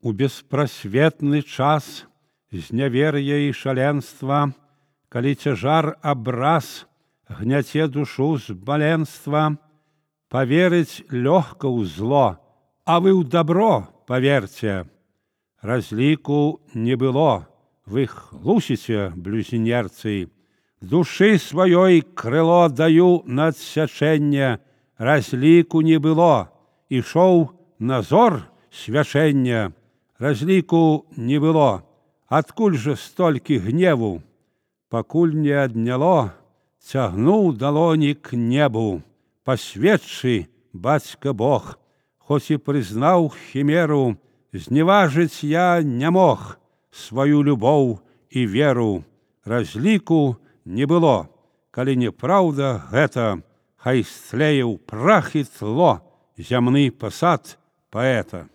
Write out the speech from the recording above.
У беспрасветны час знявер'я і шаленства, калі цяжар абраз гняце душу з баленства, поверыць лёгка ў зло, а вы ў добро поверьте. Разліку не было, вы хлусіце, блюзнерцы, душы сваёй крыло даю на адсячэнне, разліку не было, ішоў назор свячэння, разліку не было, адкуль жа столькі гневу, пакуль не адняло, цягнуў далоні к небу, пасведчы, бацька Бог, хоць і прызнаў хімеру, зневажыць я не мог сваю любоў і веру, разліку не было, калі неправда гэта, хай стлее ў прах і тло зямны пасад паэта.